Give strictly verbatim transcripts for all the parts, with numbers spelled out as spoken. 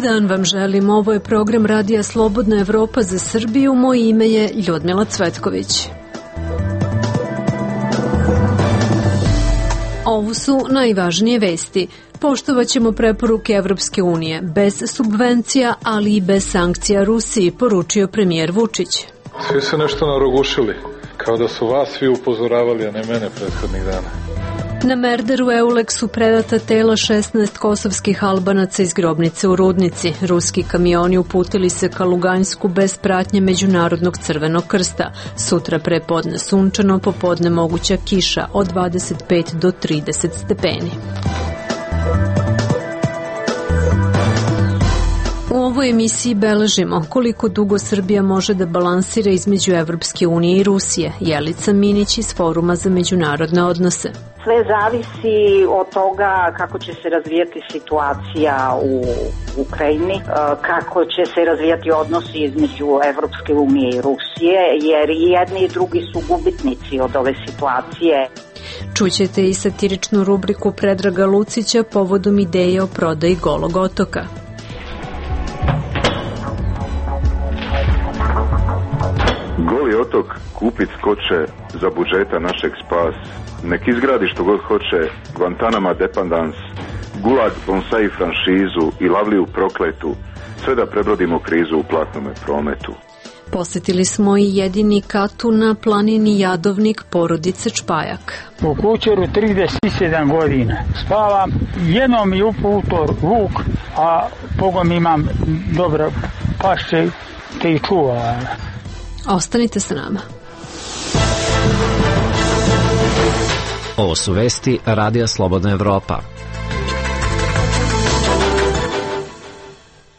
dan vam želim. Ovo je program Radija Slobodna Evropa za Srbiju. Moje ime je Ljudmila Cvetković. Ovo su najvažnije vesti. Poštovaćemo preporuke Evropske unije, bez subvencija, ali i bez sankcija Rusiji, poručio premijer Vučić. Svi su nešto narogušili, kao da su vas svi upozoravali, a ne mene prethodnih dana. Na Merderu Euleksu predata tela šesnaest kosovskih Albanaca iz grobnice u Rudnici. Ruski kamioni uputili se ka Lugansku bez pratnje Međunarodnog crvenog krsta. Sutra prepodne sunčano, popodne moguća kiša od dvadeset pet do trideset stepeni. U ovoj emisiji beležimo koliko dugo Srbija može da balansira između Evropske unije i Rusije. Jelica Minić iz Foruma za međunarodne odnose. Sve zavisi od toga kako će se razvijati situacija u Ukrajini, kako će se razvijati odnosi između Evropske unije i Rusije, jer i jedni i drugi su gubitnici od ove situacije. Čućete i satiričnu rubriku Predraga Lucića povodom ideje o prodaji Golog otoka. Goli otok kupit skoče za budžeta našeg spas. Nek izgradi što god hoće Guantanama dependans, Gulag bonsai franšizu i Lavliju prokletu, sve da prebrodimo krizu u platnome prometu. Posjetili smo i jedini katu na planini Jadovnik porodice Čpajak. U kućeru trideset sedam godina. Spavam, jednom mi uputor vuk, a pogom imam dobro pašće te i čuva. Ostanite sa nama. Ovo su vesti Radija Slobodna Evropa.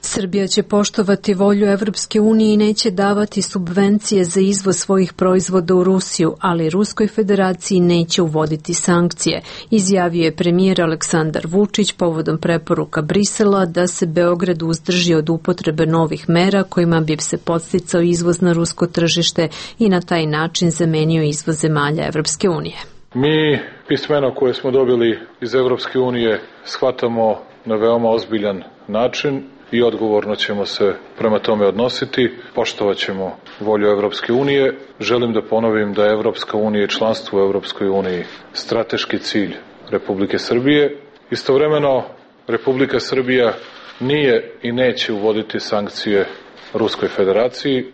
Srbija će poštovati volju Evropske unije i neće davati subvencije za izvoz svojih proizvoda u Rusiju, ali Ruskoj federaciji neće uvoditi sankcije, izjavio je premijer Aleksandar Vučić povodom preporuka Brisela da se Beograd uzdrži od upotrebe novih mera kojima bi se podsticao izvoz na rusko tržište i na taj način zamenio izvoz zemalja Evropske unije. Mi pismeno koje smo dobili iz Evropske unije shvatamo na veoma ozbiljan način i odgovorno ćemo se prema tome odnositi, poštovat ćemo volju Evropske unije. Želim da ponovim da je Evropska unija i članstvo u Evropskoj uniji strateški cilj Republike Srbije. Istovremeno, Republika Srbija nije i neće uvoditi sankcije Ruskoj federaciji.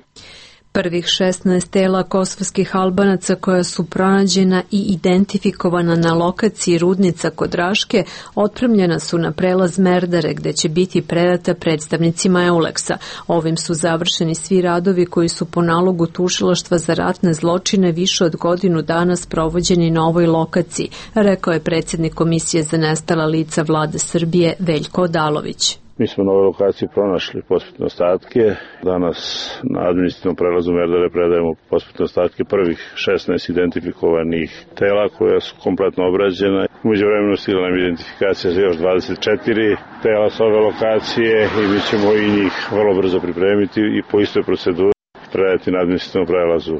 Prvih šesnaest tela kosovskih Albanaca koja su pronađena i identifikovana na lokaciji Rudnica kod Raške otpremljena su na prelaz Merdare gde će biti predata predstavnicima Euleksa. Ovim su završeni svi radovi koji su po nalogu tužilaštva za ratne zločine više od godinu dana sprovođeni na ovoj lokaciji, rekao je predsjednik Komisije za nestala lica Vlade Srbije Veljko Odalović. Mi smo na ovoj lokaciji pronašli posmrtne ostatke. Danas na administrativnom prelazu Merdare predajemo posmrtne ostatke prvih šesnaest identifikovanih tela koja su kompletno obrađena. Umeđu vremenu stigla nam identifikacija za još dvadeset četiri tela s ove lokacije i mi ćemo i njih vrlo brzo pripremiti i po istoj proceduri predati na administrativnom prelazu.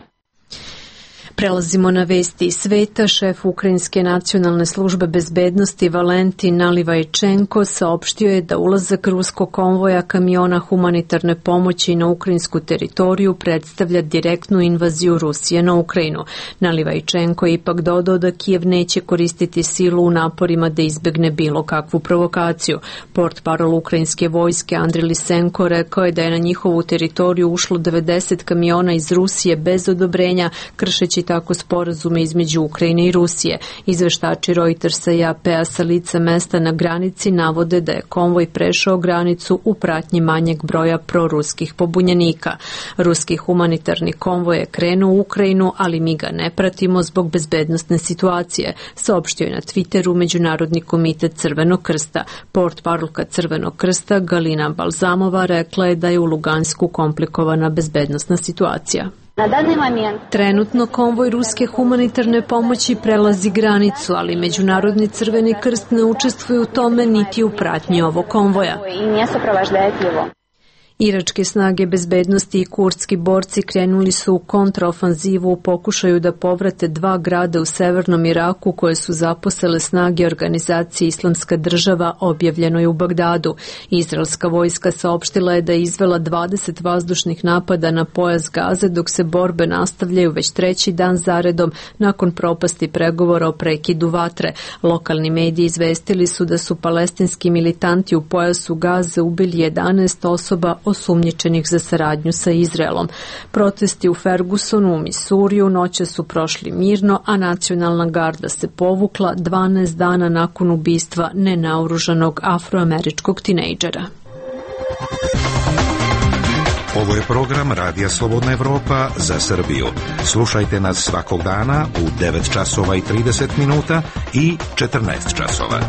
Prelazimo na vesti iz sveta. Šef Ukrajinske nacionalne službe bezbednosti Valentin Nalivajčenko saopštio je da ulazak ruskog konvoja kamiona humanitarne pomoći na ukrajinsku teritoriju predstavlja direktnu invaziju Rusije na Ukrajinu. Nalivajčenko je ipak dodao da Kijev neće koristiti silu u naporima da izbegne bilo kakvu provokaciju. Portparol ukrajinske vojske Andriy Lisenko rekao je da je na njihovu teritoriju ušlo devedeset kamiona iz Rusije bez odobrenja, kršeći tako sporazume između Ukrajine i Rusije. Izveštači Reutersa i A P-a sa lica mesta na granici navode da je konvoj prešao granicu u pratnji manjeg broja proruskih pobunjenika. Ruski humanitarni konvoj je krenuo u Ukrajinu, ali mi ga ne pratimo zbog bezbednosne situacije, saopštio je na Twitteru Međunarodni komitet Crvenog krsta. Portparolka Crvenog krsta Galina Balzamova rekla je da je u Lugansku komplikovana bezbednosna situacija. Trenutno konvoj ruske humanitarne pomoći prelazi granicu, ali Međunarodni Crveni krst ne učestvuje u tome niti u pratnji ovog konvoja. Iračke snage bezbednosti i kurdski borci krenuli su u kontraofanzivu u pokušaju da povrate dva grada u severnom Iraku koje su zaposele snage organizacije Islamska država, objavljeno je u Bagdadu. Izraelska vojska saopštila je da je izvela dvadeset vazdušnih napada na pojas Gaze, dok se borbe nastavljaju već treći dan zaredom nakon propasti pregovora o prekidu vatre. Lokalni mediji izvestili su da su palestinski militanti u pojasu Gaze ubili jedanaest osoba osumnjičenih za saradnju sa Izraelom. Protesti u Fergusonu u Misuriju noće su prošli mirno, a nacionalna garda se povukla dvanaest dana nakon ubistva nenaoružanog afroameričkog tinejdžera. Ovo je program Radija Slobodna Evropa za Srbiju. Slušajte nas svakog dana u devet časova i trideset minuta i četrnaest časova.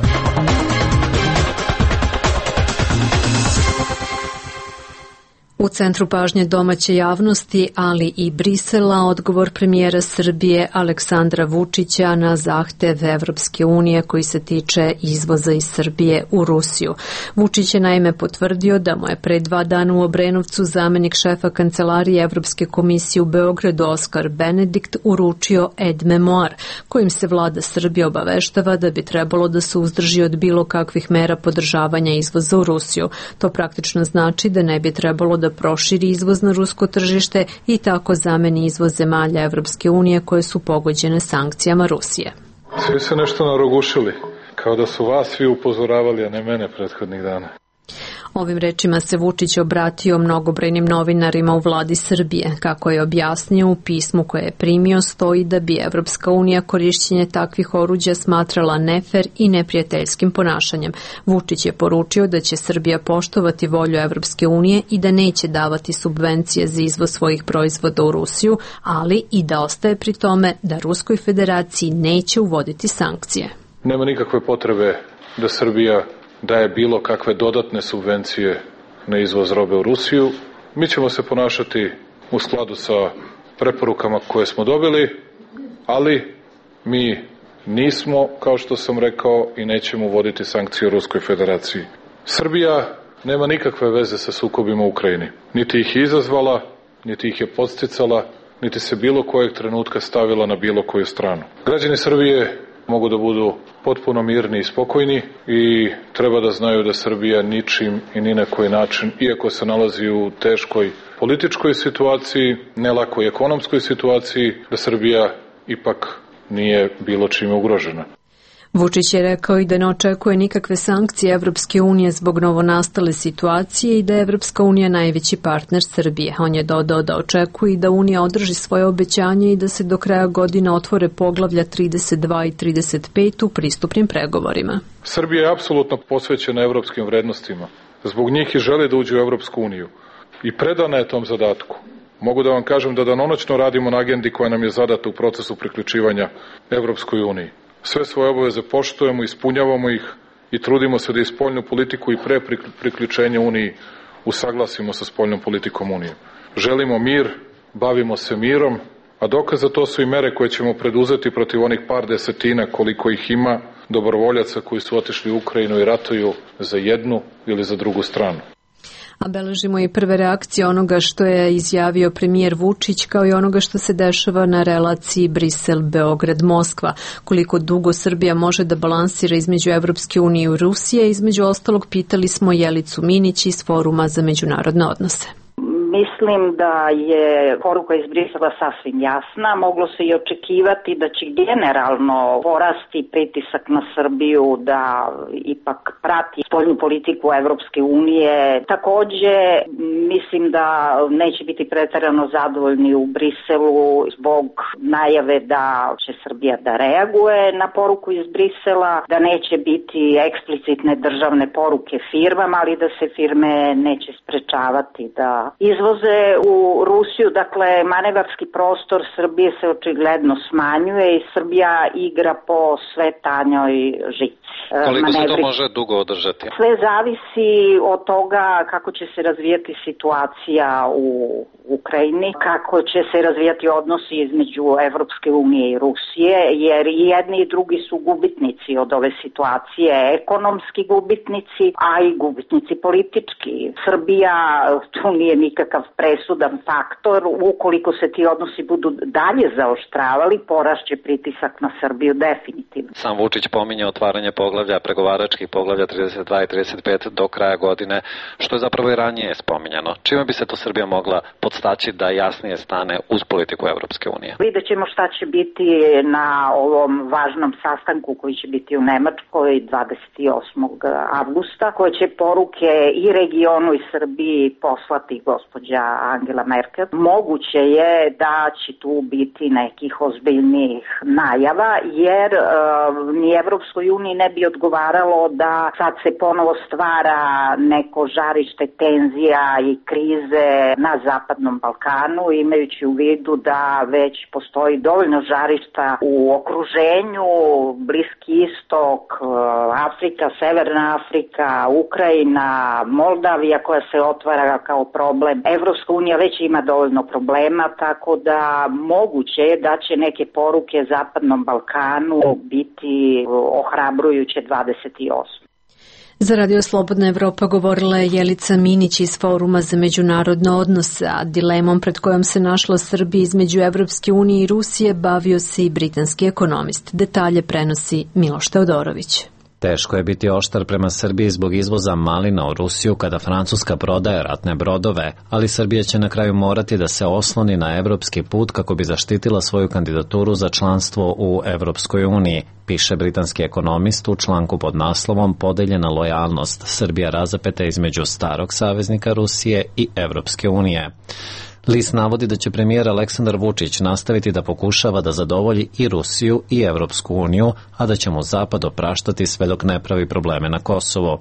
U centru pažnje domaće javnosti, ali i Brisela, odgovor premijera Srbije Aleksandra Vučića na zahtev Evropske unije koji se tiče izvoza iz Srbije u Rusiju. Vučić je naime potvrdio da mu je pre dva dana u Obrenovcu zamenik šefa kancelarije Evropske komisije u Beogradu Oskar Benedikt uručio ed memoar, kojim se vlada Srbije obaveštava da bi trebalo da se uzdrži od bilo kakvih mera podržavanja izvoza u Rusiju. To praktično znači da ne bi trebalo da da proširi izvoz na rusko tržište i tako zameni izvoz zemalja Evropske unije koje su pogođene sankcijama Rusije. Svi se nešto narogušili, kao da su vas svi upozoravali, a ne mene prethodnih dana. Ovim rečima se Vučić obratio mnogobrojnim novinarima u vladi Srbije. Kako je objasnio, u pismu koje je primio stoji da bi Evropska unija korišćenje takvih oruđa smatrala nefer i neprijateljskim ponašanjem. Vučić je poručio da će Srbija poštovati volju Evropske unije i da neće davati subvencije za izvoz svojih proizvoda u Rusiju, ali i da ostaje pri tome da Ruskoj federaciji neće uvoditi sankcije. Nema nikakve potrebe da Srbija daje bilo kakve dodatne subvencije na izvoz robe u Rusiju. Mi ćemo se ponašati u skladu sa preporukama koje smo dobili, ali mi nismo, kao što sam rekao, i nećemo uvoditi sankcije u Ruskoj federaciji. Srbija nema nikakve veze sa sukobima u Ukrajini. Niti ih je izazvala, niti ih je podsticala, niti se bilo kojeg trenutka stavila na bilo koju stranu. Građani Srbije mogu da budu potpuno mirni i spokojni i treba da znaju da Srbija ničim i ni na koji način, iako se nalazi u teškoj političkoj situaciji, ne lakoj ekonomskoj situaciji, da Srbija ipak nije bilo čime ugrožena. Vučić je rekao i da ne očekuje nikakve sankcije Evropske unije zbog novonastale situacije i da je Evropska unija najveći partner Srbije. On je dodao da očekuje i da Unija održi svoje obećanje i da se do kraja godine otvore poglavlja trideset dva i trideset pet u pristupnim pregovorima. Srbija je apsolutno posvećena evropskim vrednostima. Zbog njih i želi da uđe u Evropsku uniju. I predana je tom zadatku. Mogu da vam kažem da danonoćno radimo na agendi koja nam je zadata u procesu priključivanja Evropskoj uniji. Sve svoje obaveze poštujemo, ispunjavamo ih i trudimo se da i spoljnu politiku i pre priključenja Uniji usaglasimo sa spoljnom politikom Unije. Želimo mir, bavimo se mirom, a dokaz za to su i mere koje ćemo preduzeti protiv onih par desetina koliko ih ima dobrovoljaca koji su otišli u Ukrajinu i ratuju za jednu ili za drugu stranu. A beležimo i prve reakcije onoga što je izjavio premijer Vučić, kao i onoga što se dešava na relaciji Brisel-Beograd-Moskva. Koliko dugo Srbija može da balansira između Evropske unije i Rusije, između ostalog pitali smo Jelicu Minić iz Foruma za međunarodne odnose. Mislim da je poruka iz Brisela sasvim jasna. Moglo se i očekivati da će generalno porasti pritisak na Srbiju da ipak prati spoljnu politiku Evropske unije. Takođe, mislim da neće biti preterano zadovoljni u Briselu zbog najave da će Srbija da reaguje na poruku iz Brisela, da neće biti eksplicitne državne poruke firmama, ali da se firme neće sprečavati da izvoze u Rusiju. Dakle, manevarski prostor Srbije se očigledno smanjuje i Srbija igra po sve tanjoj žici. Koliko se to može dugo održati? Sve zavisi od toga kako će se razvijati situacija u Ukrajini, kako će se razvijati odnosi između Evropske unije i Rusije, jer i jedni i drugi su gubitnici od ove situacije, ekonomski gubitnici, a i gubitnici politički. Srbija tu nije nikakav presudan faktor, ukoliko se ti odnosi budu dalje zaoštravali, porašće pritisak na Srbiju definitivno. Sam Vučić pominje otvaranje poglavlja, pregovaračkih poglavlja trideset dva i trideset pet do kraja godine, što je zapravo i ranije spominjano. Čime bi se to Srbija mogla podstaći da jasnije stane uz politiku Evropske unije? Vidjet ćemo šta će biti na ovom važnom sastanku koji će biti u Nemačkoj dvadeset osmog avgusta, koje će poruke i regionu i Srbiji poslati gospođa Angela Merkel. Moguće je da će tu biti nekih ozbiljnijih najava, jer e, ni Evropskoj uniji ne bi odgovaralo da sad se ponovo stvara neko žarište tenzija i krize na Zapadnom Balkanu, imajući u vidu da već postoji dovoljno žarišta u okruženju, Bliski istok, Afrika, Severna Afrika, Ukrajina, Moldavija koja se otvara kao problem. Evropska unija već ima dovoljno problema, tako da moguće je da će neke poruke Zapadnom Balkanu biti ohrabrujuće dvadeset osmog Za Radio Slobodna Evropa govorila je Jelica Minić iz Foruma za međunarodne odnose, a dilemom pred kojom se našla Srbija između Evropske unije i Rusije bavio se i britanski ekonomist. Detalje prenosi Miloš Teodorović. Teško je biti oštar prema Srbiji zbog izvoza malina u Rusiju kada Francuska prodaje ratne brodove, ali Srbija će na kraju morati da se osloni na evropski put kako bi zaštitila svoju kandidaturu za članstvo u Evropskoj uniji, piše britanski ekonomist u članku pod naslovom Podeljena lojalnost, Srbija razapeta između starog saveznika Rusije i Evropske unije. List navodi da će premijer Aleksandar Vučić nastaviti da pokušava da zadovolji i Rusiju i Evropsku uniju, a da će mu Zapad opraštati sve dok ne pravi probleme na Kosovo.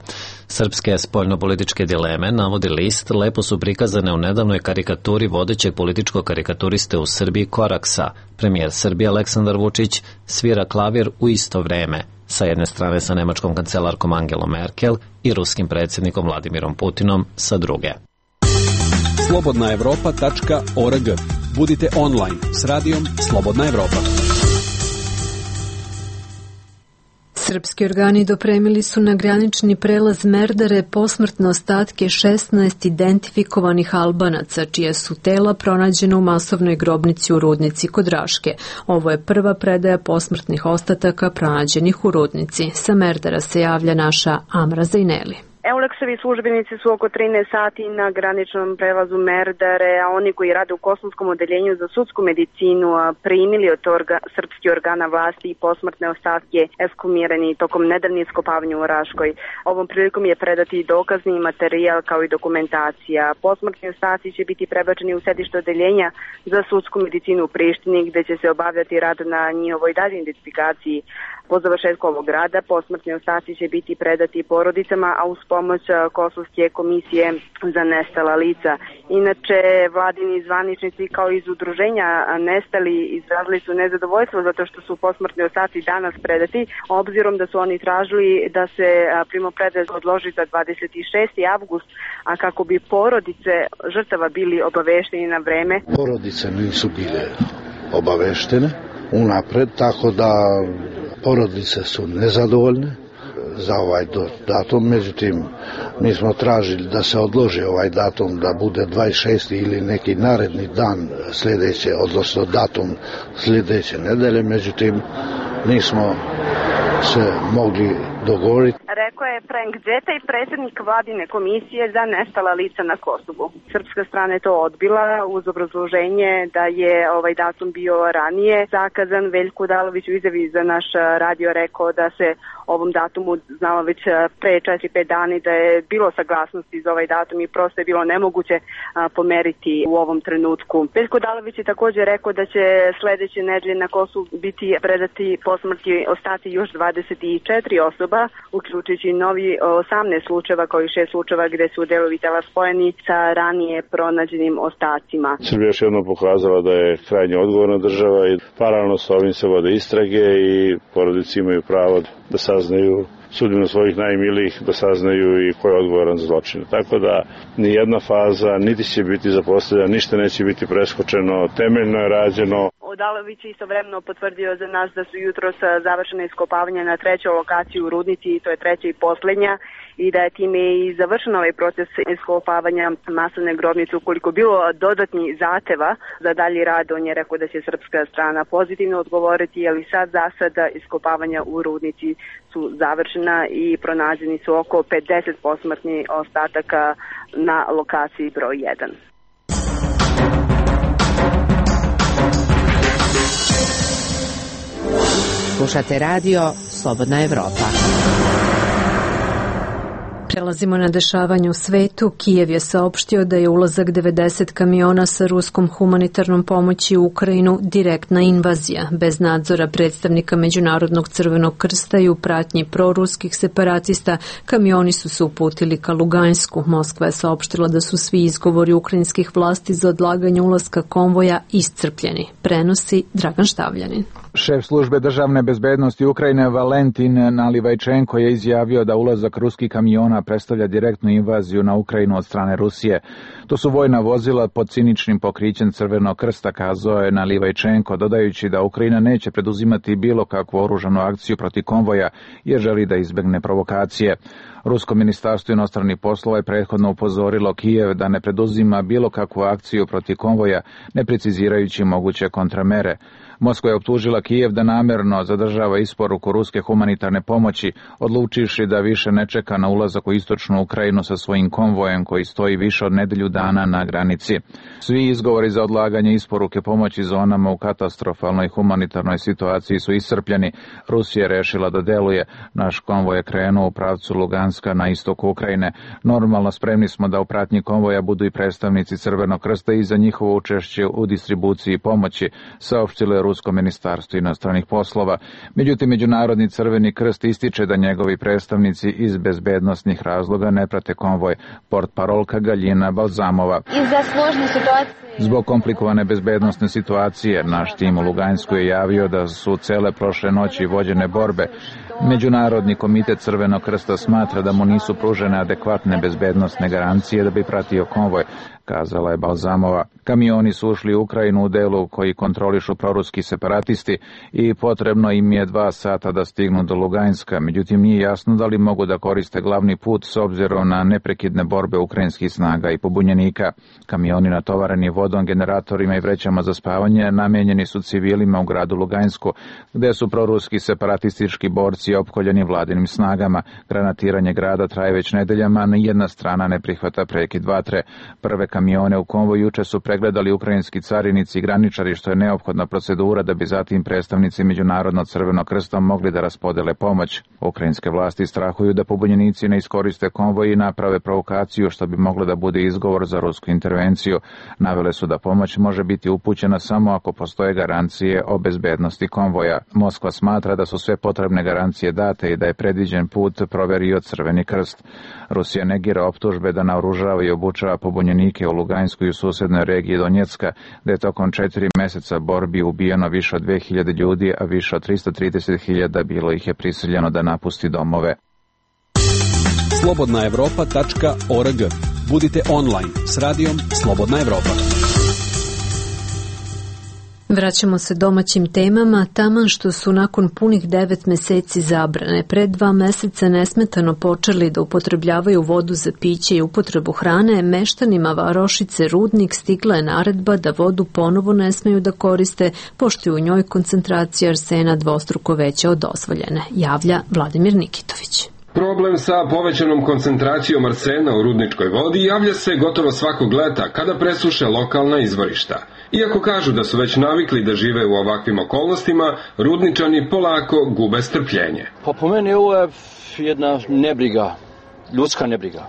Srpske spoljnopolitičke dileme, navodi list, lepo su prikazane u nedavnoj karikaturi vodećeg političkog karikaturiste u Srbiji Koraksa. Premijer Srbije Aleksandar Vučić svira klavir u isto vreme, sa jedne strane sa nemačkom kancelarkom Angelom Merkel i ruskim predsjednikom Vladimirom Putinom sa druge. slobodna evropa tačka org. Budite online s radijom Slobodna Evropa. Srpski organi dopremili su na granični prelaz Merdare posmrtne ostatke šesnaest identifikovanih Albanaca, čije su tela pronađena u masovnoj grobnici u Rudnici kod Raške. Ovo je prva predaja posmrtnih ostataka pronađenih u Rudnici. Sa Merdara se javlja naša Amra Zajneli. Euleksovi službenici su oko trinaest sati na graničnom prelazu Merdare, a oni koji rade u Kosovskom odeljenju za sudsku medicinu primili od orga, srpskih organa vlasti i posmrtne ostatke ekshumirani tokom nedavnih iskopavanja u Raškoj. Ovom prilikom je predati dokazni materijal kao i dokumentacija. Posmrtni ostaci će biti prebačeni u sedište odeljenja za sudsku medicinu u Prištini, gde će se obavljati rad na njihovoj daljoj identifikaciji. Po završetku ovog rada posmrtni ostaci će biti predati porodicama, a uz pomoć Kosovske komisije za nestala lica. Inače, vladini zvaničnici kao iz udruženja nestali izrazili su nezadovoljstvo zato što su posmrtni ostaci danas predati, obzirom da su oni tražili da se primopredaja odloži za dvadeset šesti avgust, a kako bi porodice žrtava bili obavešteni na vreme. Porodice nisu bile obaveštene unapred, tako da porodice su nezadovoljne za ovaj datum, međutim mi smo tražili da se odloži ovaj datum da bude dvadeset šesti ili neki naredni dan sljedeće, odnosno datum sljedeće nedelje, međutim nismo se mogli dogovoriti. Rekao je Frank Đeta i predsjednik vladine komisije za nestala lica na Kosovu. Srpska strana je to odbila uz obrazloženje da je ovaj datum bio ranije zakazan. Veljko Odalović u izjavi za naš radio rekao da se ovom datumu znalo već pre četiri pet dana da je bilo saglasnosti za ovaj datum i prosto je bilo nemoguće pomeriti u ovom trenutku. Veljko Odalović je također rekao da će sledeće nedelje na Kosovu biti predati posmrtni ostaci još dvadeset četiri osoba, osoba, uključujući novi osamnaest slučajeva kao i šest slučajeva gde su delovi tela spojeni sa ranije pronađenim ostacima. Srbija još jednom pokazala da je krajnje odgovorna država i paralelno sa ovim se vode istrage i porodice imaju pravo da saznaju sudbinu svojih najmilijih, da saznaju i ko je odgovoran za zločine. Tako da ni jedna faza niti će biti zapostavljena, ništa neće biti preskočeno, temeljno je rađeno. Odalović je istovremeno potvrdio za nas da su jutros završene iskopavanja na trećoj lokaciji u Rudnici, i to je treća i poslednja, i da je time i završen ovaj proces iskopavanja masovne grobnice. Ukoliko bilo dodatni zahteva za dalji rad, on je rekao da će srpska strana pozitivno odgovoriti, ali sad za sada iskopavanja u Rudnici su završena i pronađeni su oko pedeset posmrtnih ostataka na lokaciji broj jedan. Slušate radio Slobodna Evropa. Prelazimo na dešavanje u svetu. Kijev je saopštio da je ulazak devedeset kamiona sa ruskom humanitarnom pomoći u Ukrajinu direktna invazija. Bez nadzora predstavnika Međunarodnog crvenog krsta i u pratnji proruskih separatista, kamioni su se uputili ka Lugansku. Moskva je saopštila da su svi izgovori ukrajinskih vlasti za odlaganje ulaska konvoja iscrpljeni. Prenosi Dragan Štavljanin. Šef službe državne bezbednosti Ukrajine Valentin Nalivajčenko je izjavio da ulazak ruskih kamiona predstavlja direktnu invaziju na Ukrajinu od strane Rusije. To su vojna vozila pod ciničnim pokrićem Crvenog krsta, kazao je Nalivajčenko, dodajući da Ukrajina neće preduzimati bilo kakvu oružanu akciju protiv konvoja jer želi da izbegne provokacije. Rusko ministarstvo inostranih poslova je prethodno upozorilo Kijev da ne preduzima bilo kakvu akciju protiv konvoja, ne precizirajući moguće kontramere. Moskva je optužila Kijev da namerno zadržava isporuku ruske humanitarne pomoći, odlučivši da više ne čeka na ulazak u istočnu Ukrajinu sa svojim konvojem koji stoji više od nedelju dana na granici. Svi izgovori za odlaganje isporuke pomoći zonama u katastrofalnoj humanitarnoj situaciji su iscrpljeni. Rusija je rešila da deluje. Naš konvoj je krenuo u pravcu Luganska na istoku Ukrajine. Normalno spremni smo da u pratnji konvoja budu i predstavnici Crvenog krsta i za njihovo učešće u distribuciji pomoći, saopštilo je Rusko ministarstvo inostranih poslova. Međutim, Međunarodni crveni krst ističe da njegovi predstavnici iz bezbednosnih razloga ne prate konvoj. Portparolka Galjina Balzamova. Zbog komplikovane bezbednosne situacije, naš tim u Lugansku je javio da su cele prošle noći vođene borbe. Međunarodni komitet Crvenog krsta smatra da mu nisu pružene adekvatne bezbednosne garancije da bi pratio konvoj, kazala je Balzamova. Kamioni su ušli u Ukrajinu u delu koji kontrolišu proruski separatisti i potrebno im je dva sata da stignu do Luganska. Međutim, nije jasno da li mogu da koriste glavni put s obzirom na neprekidne borbe ukrajinskih snaga i pobunjenika. Kamioni natovareni vodom, generatorima i vrećama za spavanje namenjeni su civilima u gradu Lugansku, gde su proruski separatistički borci opkoljeni vladinim snagama. Granatiranje grada traje već nedeljama, a nijedna strana ne prihvata prekid vatre. Prve kamione u konvoju juče su pregledali ukrajinski carinici i graničari, što je neophodna procedura da bi zatim predstavnici Međunarodnog crvenog krsta mogli da raspodele pomoć. Ukrajinske vlasti strahuju da pobunjenici ne iskoriste konvoj i naprave provokaciju, što bi moglo da bude izgovor za rusku intervenciju. Navele su da pomoć može biti upućena samo ako postoje garancije o bezbednosti konvoja. Moskva smatra da su sve potrebne garancije date i da je predviđen put proverio Crveni krst. Rusija negira optužbe da naoružava i obučava pobunjenike u Luganskoj i u susednoj regiji Donjecka, gde je tokom četiri meseca borbi ubijeno više od dve hiljade ljudi, a više od tristo trideset hiljada bilo ih je prisiljeno da napusti domove. slobodna evropa tačka org. Budite online s radijom Slobodna Evropa. Vraćamo se domaćim temama, taman što su nakon punih devet meseci zabrane pred dva meseca nesmetano počeli da upotrebljavaju vodu za piće i upotrebu hrane, meštanima varošice Rudnik stigla je naredba da vodu ponovo ne smeju da koriste, pošto je u njoj koncentracija arsena dvostruko veća od dozvoljene, javlja Vladimir Nikitović. Problem sa povećanom koncentracijom arsena u rudničkoj vodi javlja se gotovo svakog leta kada presuše lokalna izvorišta. Iako kažu da su već navikli da žive u ovakvim okolnostima, rudničani polako gube strpljenje. Pa po meni ovo je jedna nebriga, ljudska nebriga.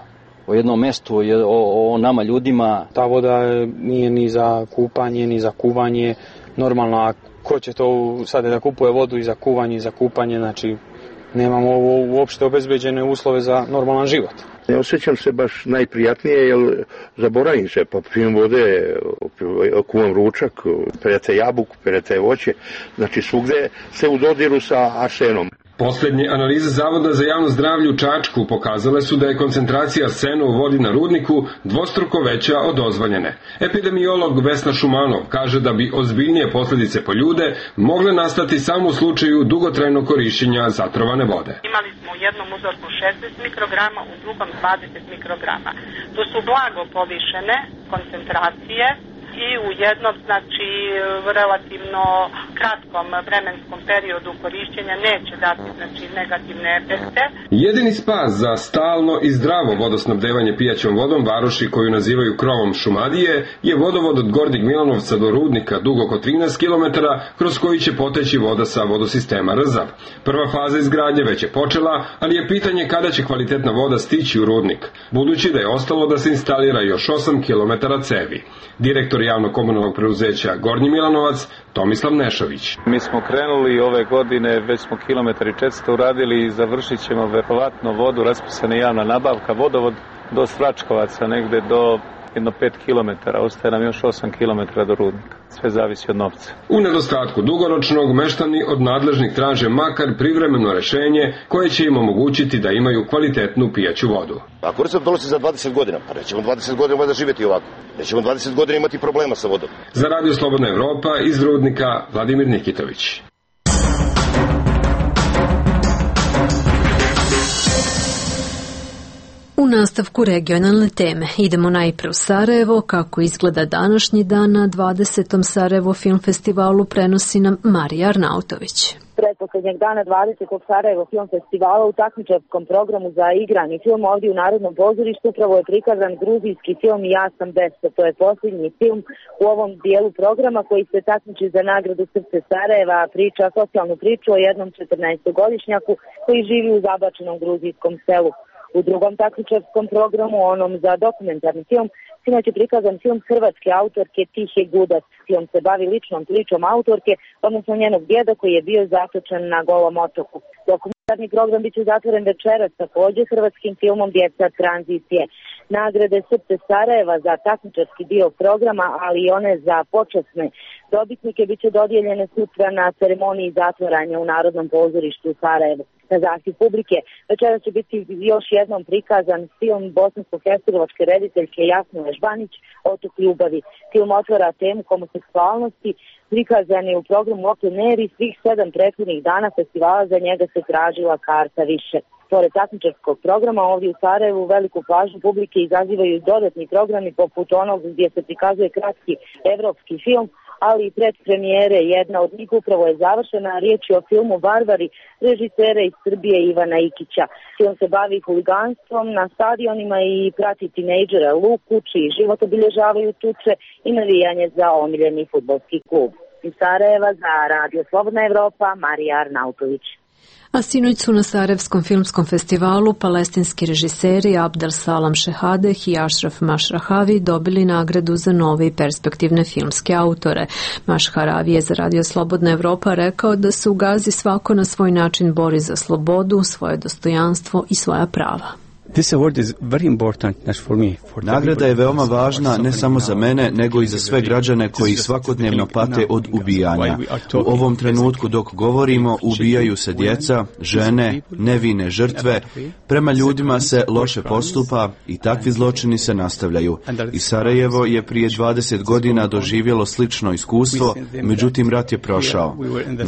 O jednom mestu, o, o nama ljudima. Ta voda nije ni za kupanje, ni za kuvanje. Normalno, a ko će to sad da kupuje vodu i za kuvanje i za kupanje, znači nemamo uopšte obezbeđene uslove za normalan život. Ne osjećam se baš najprijatnije, jer zaboravim se, popijem vode, kuvam ručak, perete jabuku, perete voće, znači svugde se u dodiru sa arsenom. Poslednje analize Zavoda za javno zdravlje u Čačku pokazale su da je koncentracija arsena u vodi na rudniku dvostruko veća od dozvoljene. Epidemiolog Vesna Šumanov kaže da bi ozbiljnije posledice po ljude mogle nastati samo u slučaju dugotrajnog korišćenja zatrovane vode. Imali smo u jednom uzorku šezdeset mikrograma, u drugom dvadeset mikrograma. To su blago povišene koncentracije i u jednom, znači, relativno kratkom vremenskom periodu korišćenja neće dati, znači, negativne efekte. Jedini spas za stalno i zdravo vodosnabdevanje pijaćom vodom varoši koju nazivaju krovom Šumadije je vodovod od Gornjeg Milanovca do Rudnika dug oko trinaest kilometara kroz koji će poteći voda sa vodosistema Rzav. Prva faza izgradnje već je počela, ali je pitanje kada će kvalitetna voda stići u Rudnik, budući da je ostalo da se instalira još osam kilometara cevi. Direktor javnog komunalnog preduzeća Gornji Milanovac Tomislav Nešović. Mi smo krenuli ove godine, već smo kilometar i četiristo uradili i završit ćemo verovatno vodu, raspisana javna nabavka, vodovod do Svračkovaca, negde do jedno pet kilometara, ostaje nam još osam kilometara do Rudnika. Sve zavisi od novca. U nedostatku dugoročnog, meštani od nadležnih traže makar privremeno rešenje koje će im omogućiti da imaju kvalitetnu pijaću vodu. Ako recept donosi za dvadeset godina, pa nećemo dvadeset godina valjda živjeti ovako. Nećemo dvadeset godina imati problema sa vodom. Za Radio Slobodna Evropa iz Rudnika Vladimir Nikitović. U nastavku regionalne teme idemo najpre u Sarajevo. Kako izgleda današnji dan na dvadesetom Sarajevo Film Festivalu prenosi nam Marija Arnautović. Pretposlednjeg dana dvadesetog Sarajevo Film Festivala u takmičarskom programu za igrani film ovdje u Narodnom pozorištu upravo je prikazan gruzijski film Ja sam Besa. To je posljednji film u ovom dijelu programa koji se takmiči za nagradu Srce Sarajeva, priča socijalnu priču o jednom četrnaestogodišnjaku koji živi u zabačenom gruzijskom selu. U drugom takmičarskom programu, onom za dokumentarni film, sinoć je prikazan film hrvatske autorke Tihe Gudac. Film se bavi ličnom pričom autorke, odnosno njenog djeda koji je bio zatočen na Golom otoku. Dokumentarni program biće zatvoren večeras također hrvatskim filmom Djeca tranzicije. Nagrade Srce Sarajeva za takmičarski dio programa, ali i one za počasne dobitnike biće dodijeljene sutra na ceremoniji zatvaranja u Narodnom pozorištu u Sarajevu. Na zahtjev publike večeras će biti još jednom prikazan film bosansko-hercegovačke rediteljke Jasne Ležbanić Otok ljubavi. Film otvara temu homoseksualnosti, prikazan je u programu Open Air i svih sedam prethodnih dana festivala za njega se tražila karta više. Pored takmičarskog programa ovdje u Sarajevu veliku pažnju publike izazivaju dodatni programi poput onog gdje se prikazuje kratki evropski film, ali i predpremijere. Jedna od njih upravo je završena, riječ je o filmu Varvari režisera iz Srbije Ivana Ikića. Film se bavi huliganstvom na stadionima i prati tinejdžera Luku, čiji život obilježavaju tuče i navijanje za omiljeni fudbalski klub. Iz Sarajeva za Radio Slobodna Evropa, Marija Arnautović. A sinoć su na Sarajevskom filmskom festivalu palestinski režiseri Abdel Salam Šehadeh i Ašraf Mašrahavi dobili nagradu za nove i perspektivne filmske autore. Mašrahavi je za Radio Slobodna Evropa rekao da se u Gazi svako na svoj način bori za slobodu, svoje dostojanstvo i svoja prava. Nagrada je veoma važna ne samo za mene, nego i za sve građane koji svakodnevno pate od ubijanja. U ovom trenutku dok govorimo, ubijaju se djeca, žene, nevine žrtve, prema ljudima se loše postupa i takvi zločini se nastavljaju. I Sarajevo je prije dvadeset godina doživjelo slično iskustvo, međutim rat je prošao.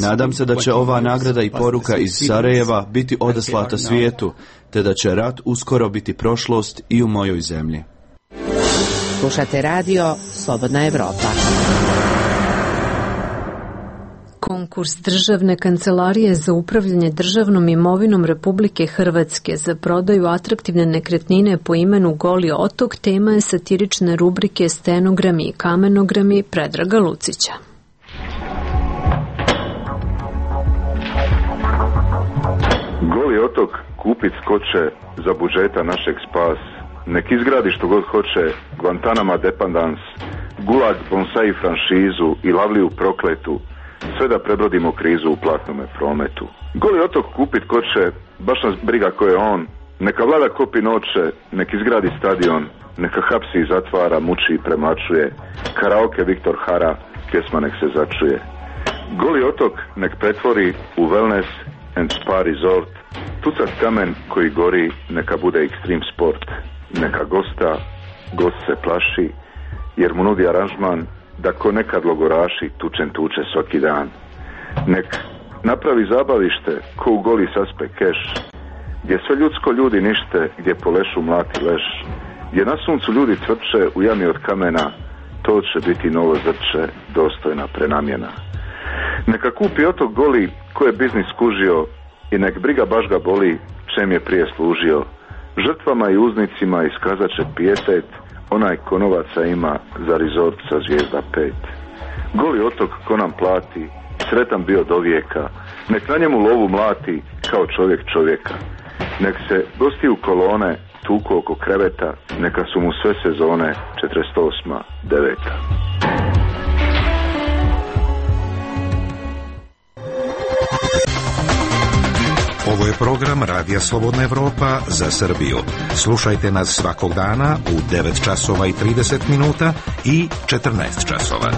Nadam se da će ova nagrada i poruka iz Sarajeva biti odaslata svijetu, te da će rat uskoro biti prošlost i u mojoj zemlji. Slušate radio Slobodna Evropa. Konkurs Državne kancelarije za upravljanje državnom imovinom Republike Hrvatske za prodaju atraktivne nekretnine po imenu Goli otok tema je satirične rubrike Stenogrami i kamenogrami Predraga Lucića. Goli otok kupit skoče za budžeta našeg spas. Nek izgradi što god hoće Guantanama dependans, Gulag bonsai franšizu i Lavliju prokletu. sve da prebrodimo krizu u platnome prometu. Goli otok kupit ko će, baš nas briga ko je on, neka vlada kopi noće, nek izgradi stadion, neka hapsi i zatvara, muči i premlačuje, karaoke Viktor Hara, pjesma nek se začuje. Goli otok nek pretvori u wellness and spa resort, tucat kamen koji gori neka bude extreme sport, neka gosta, gost se plaši, jer mu nudi aranžman da ko nekad logoraši tučen tuče svaki dan. Nek napravi zabavište ko u Goli saspe keš, gdje sve ljudsko ljudi nište, gdje po lešu mlati leš, gdje na suncu ljudi cvrče u jami od kamena, to će biti novo zrče, dostojna prenamjena. Neka kupi otok Goli ko je biznis skužio i nek briga baš ga boli čem je prije služio. Žrtvama i uznicima iskazat će pijetet, onaj ko novaca ima za rezort sa zvijezda pet. Goli otok ko nam plati, sretan bio do vijeka, nek na njemu lovu mlati kao čovjek čovjeka. Nek se gosti u kolone tuku oko kreveta, neka su mu sve sezone četrdeset osma deveta. Ovo je program Radija Slobodna Evropa za Srbiju. Slušajte nas svakog dana u devet časova i trideset minuta i četrnaest časova.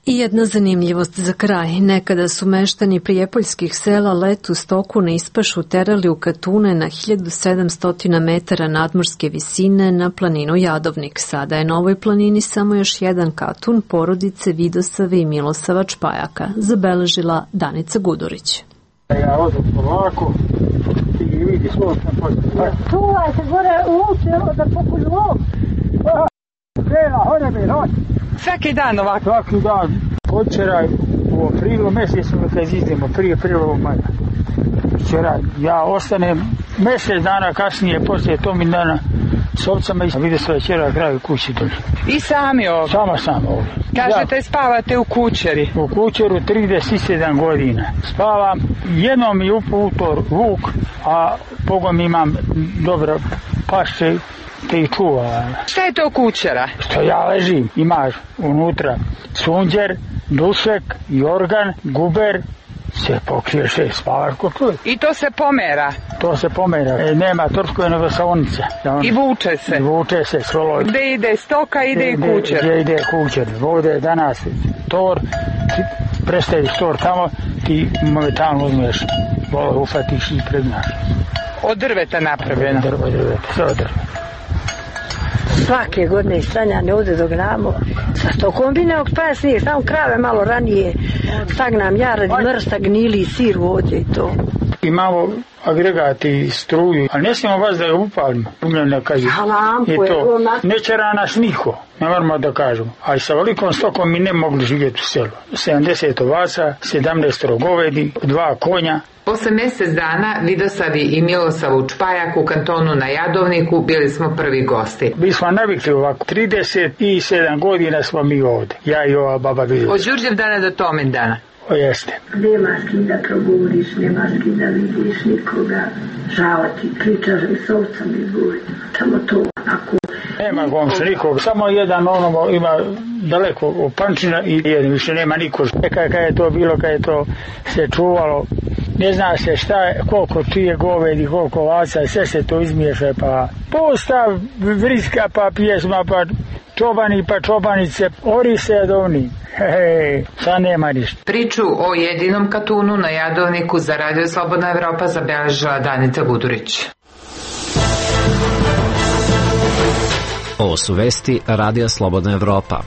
I jedna zanimljivost za kraj. Nekada su meštani prijepoljskih sela letu stoku na ispašu terali u katune na hiljadu sedamsto metara nadmorske visine na planinu Jadovnik. Sada je na ovoj planini samo još jedan katun porodice Vidosave i Milosava Čpajaka, zabeležila Danica Gudurić. Ja odem polako i vidi svoj sam poslije. Čuvaj se gore u uče da pokulju ovo. Krela, hode mi noć. Svaki dan ovako? Svaki dan. Včeraj u aprilu mjesecu kad izdemo prije prvog maja. Včeraj ja ostanem mjesec dana kasnije poslije tog dana s ovcama i vidio se večera kraju kući dođe. I sami ovdje? Sama sam ovdje. Kažete ja, spavate u kućeri? U kućeru trideset sedam godina. Spavam, jednom mi uputor vuk, a pogom imam dobro pašće te ih čuva. Šta je to kućera? Što ja ležim, imaš unutra sunđer, dušek, jorgan, guber, se pokrije šest spavaš ko čovjek. I to se pomera? To se pomera, e, nema troškove nego saonica. Ja, I vuče se? I vuče se, svolo. Gde ide stoka, ide i kućer? Gde ide kućer, ovdje je danas tor, prestaviš tor tamo, ti momentalno uzmeš, volo ufatiš i pregnaš. Od drveta napravljeno? Od drveta, sve od drveta. Svake godine stranjane ovdje dok namo. Sa sto kombineog pa snijeg, samo krave malo ranije. Stagnam ja radi mrsta, gnili, sir ovdje i to. Imamo agregati i struju, ali ne smijemo vas da je upalimo. Umljena kaže. I to. Neće nas niko, ne moramo da kažemo. Ali sa velikom stokom mi ne mogli živjeti u selu. sedamdeset ovaca, sedamnaest govedi, dva konja. Posle mjesec dana Vidosavi i Milosavu Čpajak u kantonu na Jadovniku bili smo prvi gosti. Mi smo navikli ovako, trideset sedam godina smo mi ovdje, ja i ova baba Vidosav. Od Đurđev dana do Tomen dana? O jeste. Nema s kim da progovoriš, nema s kim da vidiš nikoga, žao ti, pričaš mi s ovcem i govori, tamo to ako... Nema gomša nikog, samo jedan ono ima daleko od Pančina i jedan više nema niko. Kada je to bilo, kada je to se čuvalo, ne zna se šta je, koliko čije govedi, koliko ovaca, sve se to izmiješa, pa postav, vriska, pa pjesma, pa čobani, pa čobanice, ori se jadovni. Hej, sad nema ništa. Priču o jedinom katunu na Jadovniku za Radio Slobodna Evropa zabeležila Danica Gudurić. Ovo su vesti Radija Slobodna Evropa.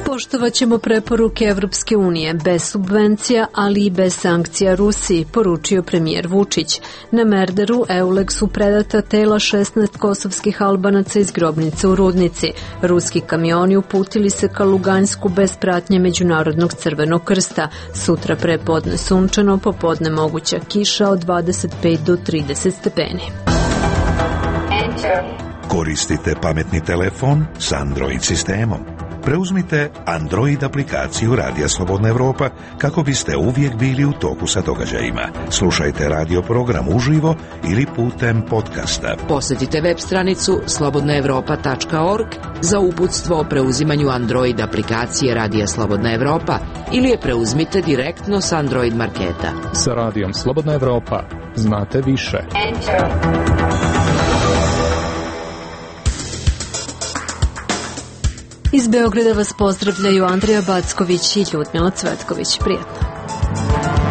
Poštovat ćemo preporuke Evropske unije, bez subvencija, ali i bez sankcija Rusiji, poručio premijer Vučić. Na Merderu Eulex su predata tela šesnaest kosovskih Albanaca iz grobnice u Rudnici. Ruski kamioni uputili se ka Lugansku bez pratnje Međunarodnog crvenog krsta. Sutra prepodne sunčano, popodne moguća kiša od dvadeset pet do trideset stepeni. Koristite pametni telefon s Android sistemom. preuzmite Android aplikaciju Radija Slobodna Evropa kako biste uvijek bili u toku sa događajima. Slušajte radio program uživo ili putem podcasta. Posjetite web stranicu slobodna evropa tačka org za uputstvo o preuzimanju Android aplikacije Radija Slobodna Evropa ili je preuzmite direktno s Android marketa. Sa Radijom Slobodna Evropa znate više. Enter. Iz Beograda vas pozdravljaju Andrija Backović i Ljudmila Cvetković. Prijetno.